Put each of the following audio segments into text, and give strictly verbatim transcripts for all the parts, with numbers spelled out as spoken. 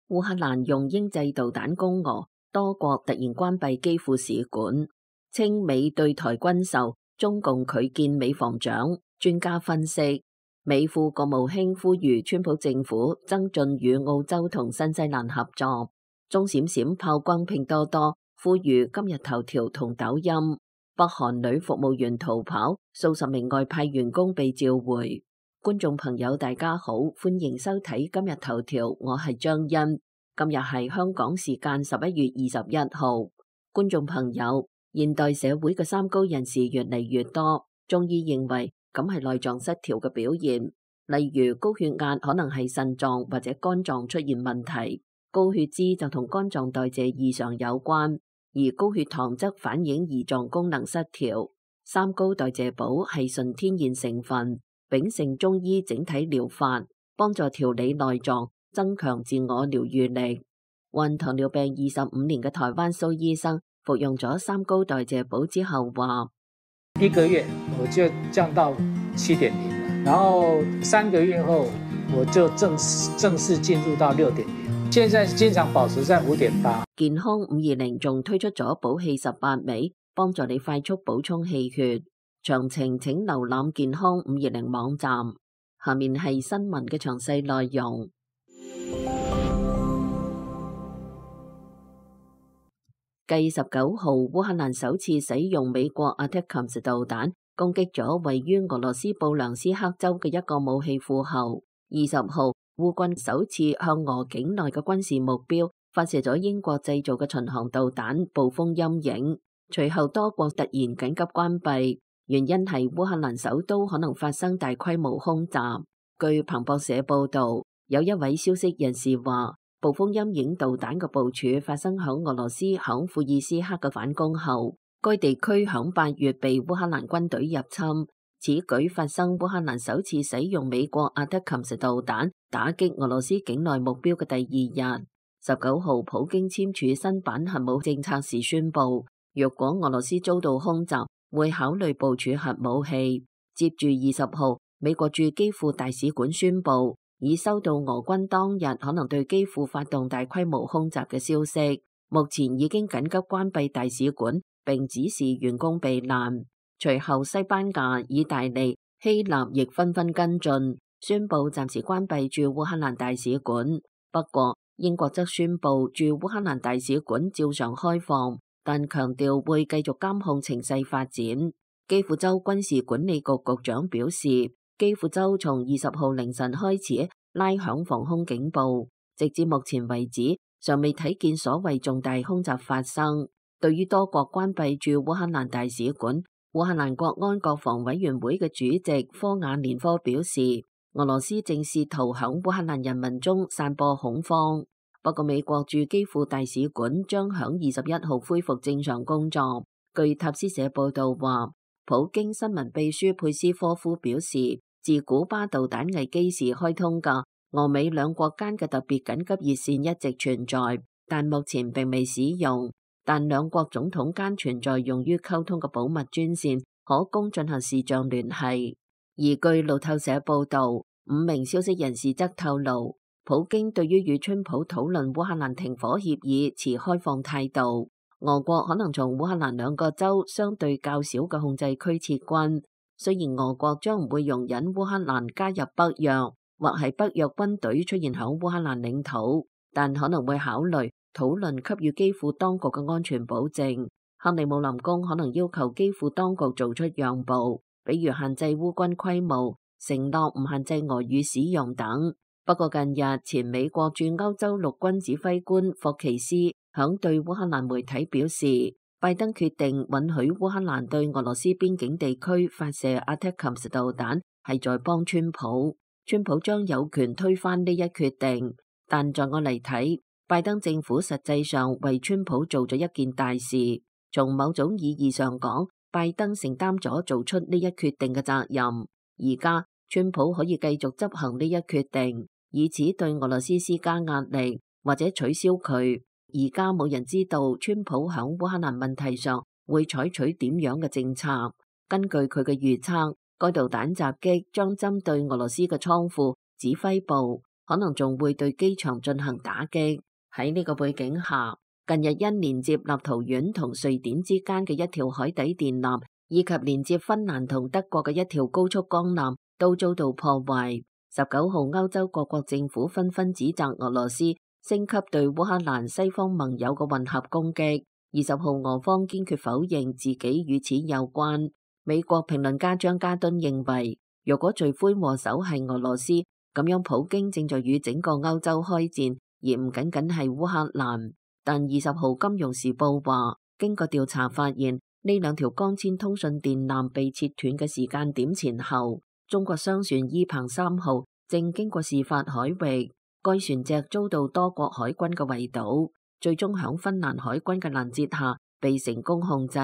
烏克蘭用英製導彈攻俄，多國突然關閉基輔使館，稱美對台軍售，中共拒見美防長。專家分析，美副國務卿呼籲川普政府增進與澳洲同新西蘭合作。鐘閃閃炮轟拼多多，呼籲今日頭條同抖音。北韓女服務員逃跑，數十名外派員工被召回。觀眾朋友大家好，歡迎收睇今日頭條，我係張欣。今日係香港時間十一月二十一號。觀眾朋友，現代社會嘅三高人士越嚟越多，中醫認為咁係內臟失調嘅表現，例如高血壓可能係腎臟或者肝臟出現問題，高血脂就同肝臟代謝異常有關，而高血糖則反映胰臟功能失調。三高代謝寶係純天然成分，秉承中醫整體療法，幫助調理內臟，增強自我療愈力。患糖尿病二十五年嘅台灣蘇醫生服用咗三高代謝寶之後話：一個月我就降到七點零了，然後三個月後我就正式正式進入到六點零，現在經常保持在五點八。健康五二零仲推出咗補氣十八味，幫助你快速補充氣血。詳情請瀏覽健康五二零網站。下面係新聞嘅詳細內容。繼十九號烏克蘭首次使用美國阿塔卡姆斯導彈攻擊咗位於俄羅斯布良斯克州嘅一個武器庫後，二十號烏軍首次向俄境內嘅軍事目標發射咗英國製造嘅巡航導彈暴風陰影。隨後多國突然緊急關閉，原因係烏克蘭首都可能發生大規模空襲。據彭博社報道，有一位消息人士話，暴風陰影導彈嘅部署發生響俄羅斯響庫爾斯克嘅反攻後，該地區響八月被烏克蘭軍隊入侵。此舉發生烏克蘭首次使用美國阿塔卡姆斯導彈打擊俄羅斯境內目標嘅第二日。十九號，普京簽署新版核武政策時宣布，若果俄羅斯遭到空襲，會考慮部署核武器。接住二十號，美國駐基輔大使館宣布，已收到俄軍當日可能對基輔發動大規模空襲嘅消息，目前已經緊急關閉大使館，並指示員工避難。隨後，西班牙、意大利、希臘亦紛紛跟進，宣布暫時關閉駐烏克蘭大使館。不過，英國則宣布駐烏克蘭大使館照常開放，但強調會繼續監控情勢發展。基輔州軍事管理局局長表示，基輔州從二十號凌晨開始拉響防空警報，直至目前為止尚未睇見所謂重大空襲發生。對於多國關閉駐烏克蘭大使館，烏克蘭國安國防委員會嘅主席科瓦連科表示，俄羅斯正試圖響烏克蘭人民中散播恐慌。不過美國駐基輔大使館將響二十一號恢復正常工作。據塔斯社報道話，普京新聞秘書佩斯科夫表示，自古巴導彈危機時開通嘅俄美兩國間嘅特別緊急熱線一直存在，但目前並未使用。但兩國總統間存在用於溝通嘅保密專線，可供進行視像聯繫。而據路透社報道，五名消息人士則透露，普京對於與川普討論烏克蘭停火協議持開放態度。俄國可能從烏克蘭兩個州相對較少嘅控制區撤軍，雖然俄國將唔會容忍烏克蘭加入北約或係北約軍隊出現響烏克蘭領土，但可能會考慮討論給予基輔當局嘅安全保證。克里姆林宮可能要求基輔當局做出讓步，比如限制烏軍規模，承諾唔限制俄語使用等。不過近日前美國駐歐洲陸軍指揮官霍奇斯響對烏克蘭媒體表示，拜登決定允許烏克蘭對俄羅斯邊境地區發射阿塔卡姆斯導彈，係在幫川普。川普將有權推翻呢一決定，但在我嚟睇，拜登政府實際上為川普做咗一件大事。從某種意義上講，拜登承擔咗做出呢一決定嘅責任。而家川普可以繼續執行呢一決定，以此對俄羅斯施加壓力或者取消佢。而家冇人知道川普響烏克蘭問題上會採取點樣嘅政策。根據佢嘅預測，該導彈襲擊將針對俄羅斯嘅倉庫、指揮部、可能仲會對機場進行打擊。喺呢個背景下，近日因連接立陶宛同瑞典之間嘅一條海底電纜，以及連接芬蘭同德國嘅一條高速鋼纜，都遭到破壞。十九號，歐洲各國政府紛紛指責俄羅斯升級對烏克蘭西方盟友嘅混合攻擊。二十號，俄方堅決否認自己與此有關。美國評論家張加敦認為，如果罪魁禍首係俄羅斯，咁樣普京正在與整個歐洲開戰，而唔僅僅係烏克蘭。但二十號，金融時報話，經過調查發現，呢兩條光纖通訊電纜被切斷嘅時間點前後，中國商船伊鵬三號正經過事發海域，該船隻遭到多國海軍嘅圍堵，最終響芬蘭海軍嘅攔截下被成功控制。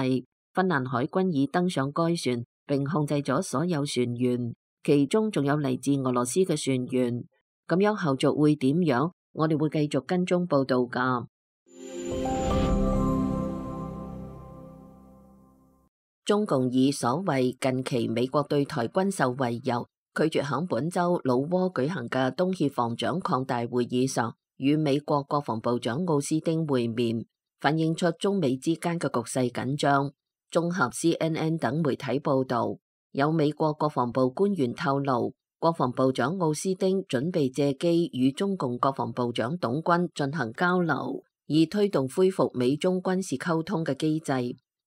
芬蘭海軍已登上該船，並控制咗所有船員，其中仲有嚟自俄羅斯嘅船員。咁樣後續會點樣？我哋會繼續跟蹤報道噶。中共以所謂近期美國對台軍售為由，拒絕響本周老撾舉行嘅東協防長擴大會議上與美國國防部長奧斯汀會面，反映出中美之間嘅局勢緊張。綜合 C N N 等媒體報道，有美國國防部官員透露，國防部長奧斯汀準備借機與中共國防部長董軍進行交流，以推動恢復美中軍事溝通嘅機制。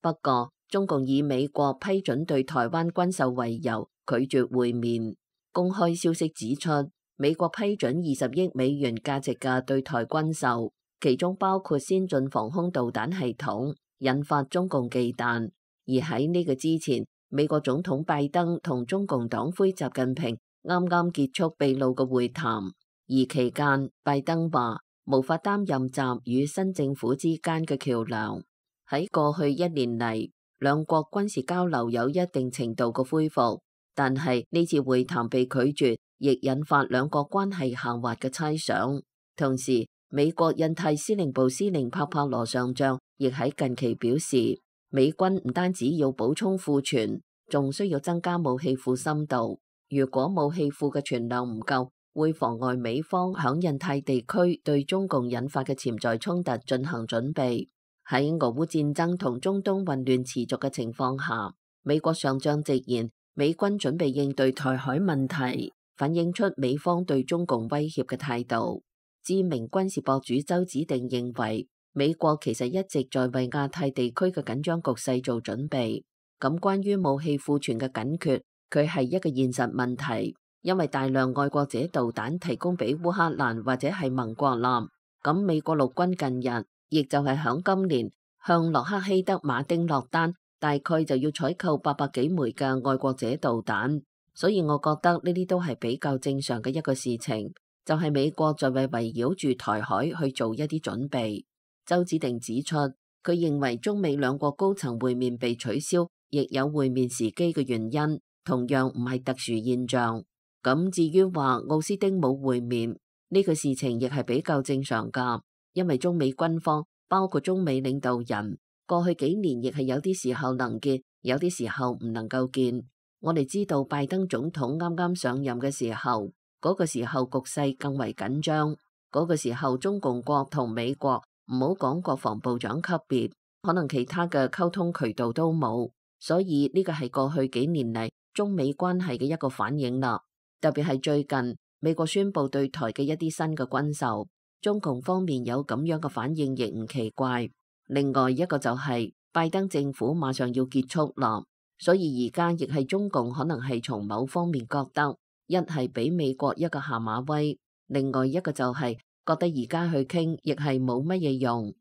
不過，中共以美國批准對台灣軍售為由，拒絕會面。公開消息指出，美國批准二十億美元價值嘅對台軍售，其中包括先進防空導彈系統，引發中共忌憚。而喺呢個之前，美國總統拜登同中共黨魁習近平啱啱結束秘魯嘅會談，而期間拜登話無法擔任習與新政府之間嘅橋樑。喺過去一年嚟，兩國軍事交流有一定程度嘅恢復，但係呢次會談被拒絕，亦引發兩國關係下滑嘅猜想。同時，美國印太司令部司令帕帕羅上將亦喺近期表示，美軍唔單止要補充庫存，仲需要增加武器庫深度。如果武器庫嘅存量唔夠，會妨礙美方響印太地區對中共引發嘅潛在衝突進行準備。喺俄烏戰爭同中東混亂持續嘅情況下，美國上將直言，美軍準備應對台海問題，反映出美方對中共威脅嘅態度。知名軍事博主周子定認為，美國其實一直在為亞太地區嘅緊張局勢做準備。咁關於武器庫存嘅緊缺，佢係一個現實問題，因為大量愛國者導彈提供俾烏克蘭或者係盟國艦。咁美國陸軍近日，亦就係響今年向洛克希德馬丁落單，大概就要採購八百幾枚嘅愛國者導彈。所以我覺得呢啲都係比較正常嘅一個事情，就係美國在為圍繞住台海去做一啲準備。周子定指出，佢認為中美兩國高層會面被取消，亦有會面時機嘅原因，同樣唔係特殊現象。咁至於話奧斯汀冇會面呢個事情，亦係比較正常噶。因為中美軍方包括中美領導人過去幾年亦係有啲時候能見，有啲時候唔能夠見。我哋知道拜登總統啱啱上任嘅時候，嗰個時候局勢更為緊張，嗰個時候中共國同美國唔好講國防部長級別，可能其他嘅溝通渠道都冇，所以呢個係過去幾年嚟中美關係嘅一個反應啦。特別係最近美國宣布對台嘅一啲新嘅軍售，中共方面有咁樣嘅反應亦唔奇怪。另外一個就係拜登政府馬上要結束啦，所以而家亦係中共可能係從某方面覺得，一係俾美國一個下馬威，另外一個就係覺得而家去傾亦係冇乜嘢用。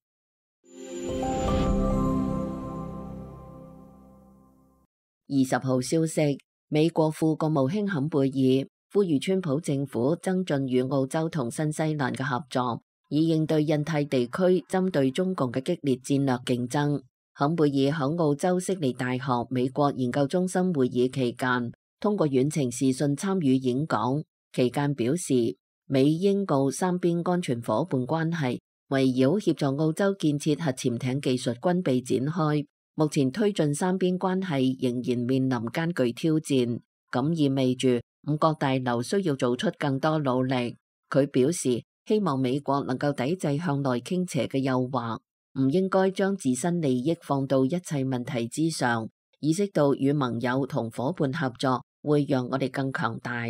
二十號消息，美國副國務卿坎貝爾呼籲川普政府增進與澳洲同新西蘭嘅合作，以應對印太地區針對中共嘅激烈戰略競爭。坎貝爾喺澳洲悉尼大學美國研究中心會議期間，通過遠程視訊參與演講，期間表示，美英澳三邊安全夥伴關係圍繞協助澳洲建設核潛艇技術軍備展開。目前推進三邊關係仍然面臨艱巨挑戰，咁意味住五角大樓需要做出更多努力。佢表示希望美國能夠抵制向內傾斜嘅誘惑，唔應該將自身利益放到一切問題之上，意識到與盟友同夥伴合作會讓我哋更強大。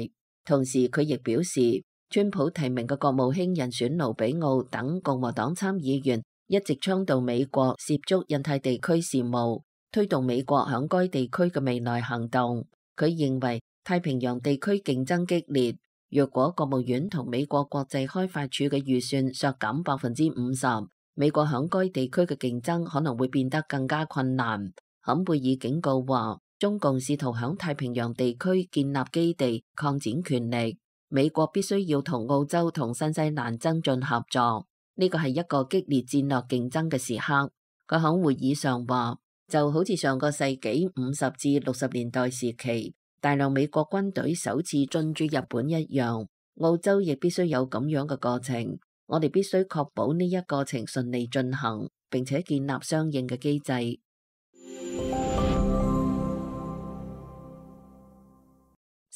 同時佢亦表示，川普提名嘅國務卿人選盧比奧等共和黨參議員一直倡導美國涉足印太地區事務，推動美國響該地區嘅未來行動。佢認為太平洋地區競爭激烈，若果國務院同美國國際開發署嘅預算削減百分之五十，美國響該地區嘅競爭可能會變得更加困難。坎貝爾警告話，中共試圖響太平洋地區建立基地，擴展權力。美國必須要同澳洲同新西蘭增進合作，呢個係一個激烈戰略競爭嘅時刻。佢響會議上話，就好似上個世紀五十至六十年代時期，大量美國軍隊首次進駐日本一樣，澳洲亦必須有咁樣嘅過程。我哋必須確保呢一過程順利進行，並且建立相應嘅機制。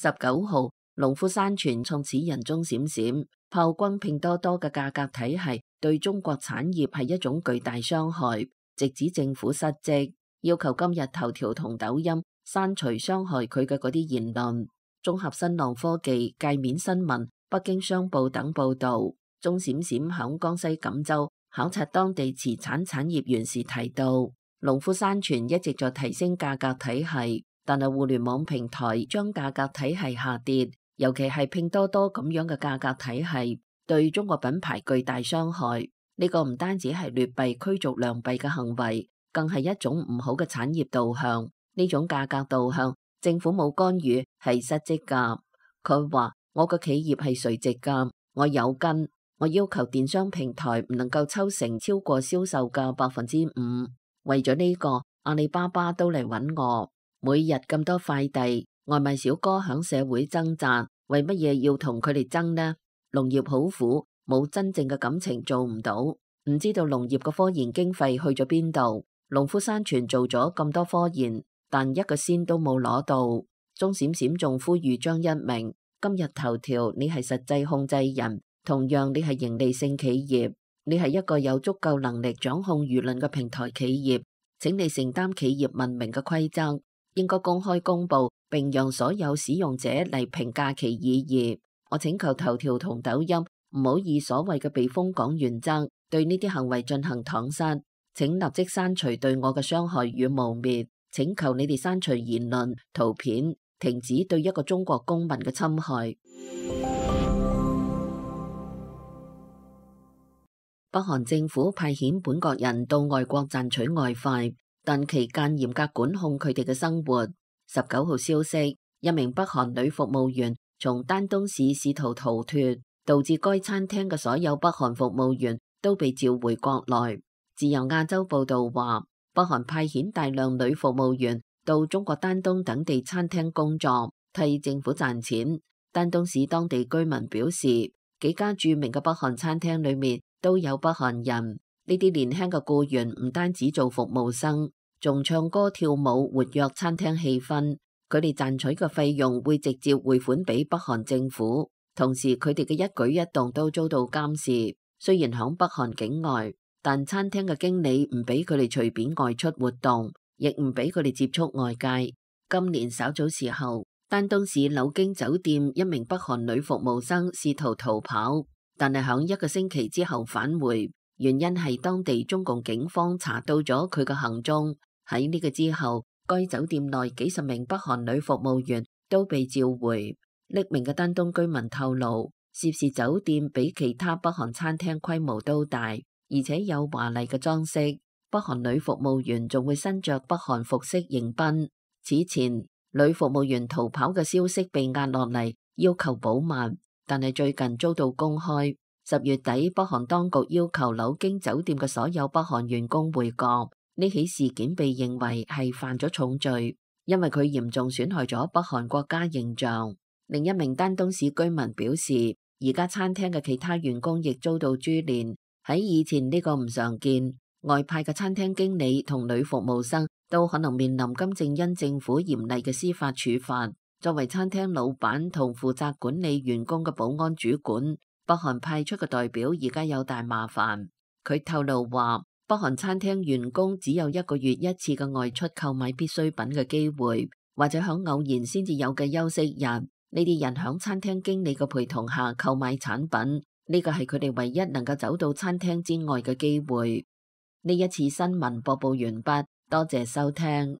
十九號，農夫山泉創始人鐘閃閃炮轟拼多多嘅價格體系對中國產業係一種巨大傷害，直指政府失職，要求今日頭條同抖音刪除傷害佢嘅嗰啲言論。綜合新浪科技、界面新聞、北京商報等報道，鐘閃閃響江西錦州考察當地瓷產產業園時提到，農夫山泉一直在提升價格體系，但係互聯網平台將價格體系下跌，尤其係拼多多咁樣嘅價格體系，對中國品牌巨大傷害。呢個唔單止係劣幣驅逐良幣嘅行為，更係一種唔好嘅產業導向。呢種價格導向，政府冇干預係失職㗎。佢話：我個企業係垂直㗎，我有根，我要求電商平台唔能夠抽成超過銷售嘅百分之五。為咗呢個，阿里巴巴都嚟揾我。每日咁多快遞，外賣小哥響社會掙扎，為乜嘢要同佢哋爭呢？農業好苦，冇真正嘅感情做唔到，唔知道農業嘅科研經費去咗邊度。農夫山泉做咗咁多科研，但一個仙都冇攞到。鐘閃閃仲呼籲張一鳴，今日頭條你係實際控制人，同樣你係盈利性企業，你係一個有足夠能力掌控輿論嘅平台企業，請你承擔企業文明嘅規則，應該公開公佈並讓所有使用者嚟評價其意義。我請求頭條同抖音唔好以所謂嘅避風港原則對呢啲行為進行搪塞，請立即刪除對我嘅傷害與污蔑，請求你哋刪除言論、圖片，停止對一個中國公民嘅侵害。北韓政府派遣本國人到外國賺取外快，但期間嚴格管控佢哋嘅生活。十九號消息，一名北韓女服務員從丹東市試圖逃脫，導致該餐廳嘅所有北韓服務員都被召回國內。自由亞洲報道話，北韓派遣大量女服務員到中國丹東等地餐廳工作，替政府賺錢。丹東市當地居民表示，幾家著名嘅北韓餐廳裏面都有北韓人。呢啲年輕嘅僱員唔單止做服務生，仲唱歌跳舞，活躍餐廳氣氛。佢哋賺取嘅費用會直接匯款俾北韓政府，同時佢哋嘅一舉一動都遭到監視。雖然響北韓境外，但餐廳嘅經理唔俾佢哋隨便外出活動，亦唔俾佢哋接觸外界。今年稍早時候，丹東市柳京酒店一名北韓女服務生試圖逃跑，但係響一個星期之後返回，原因係當地中共警方查到咗佢嘅行蹤。喺呢個之後，該酒店內幾十名北韓女服務員都被召回。匿名嘅丹東居民透露，涉事酒店比其他北韓餐廳規模都大，而且有華麗嘅裝飾。北韓女服務員仲會身着北韓服飾迎賓。此前，女服務員逃跑嘅消息被壓落嚟，要求保密，但係最近遭到公開。十月底，北韓當局要求柳京酒店嘅所有北韓員工回國。呢起事件被認為係犯咗重罪，因為佢嚴重損害咗北韓國家形象。另一名丹東市居民表示，而家餐廳嘅其他員工亦遭到株連。喺以前呢個唔常見，外派嘅餐廳經理同女服務生都可能面臨金正恩政府嚴厲嘅司法處罰。作為餐廳老闆同負責管理員工嘅保安主管，北韓派出嘅代表而家有大麻煩。佢透露話，北韓餐廳員工只有一個月一次嘅外出購買必需品嘅機會，或者響偶然先至有嘅休息日，呢啲人響餐廳經理嘅陪同下購買產品，呢個係佢哋唯一能夠走到餐廳之外嘅機會。呢一次新聞播報完畢，多謝收聽。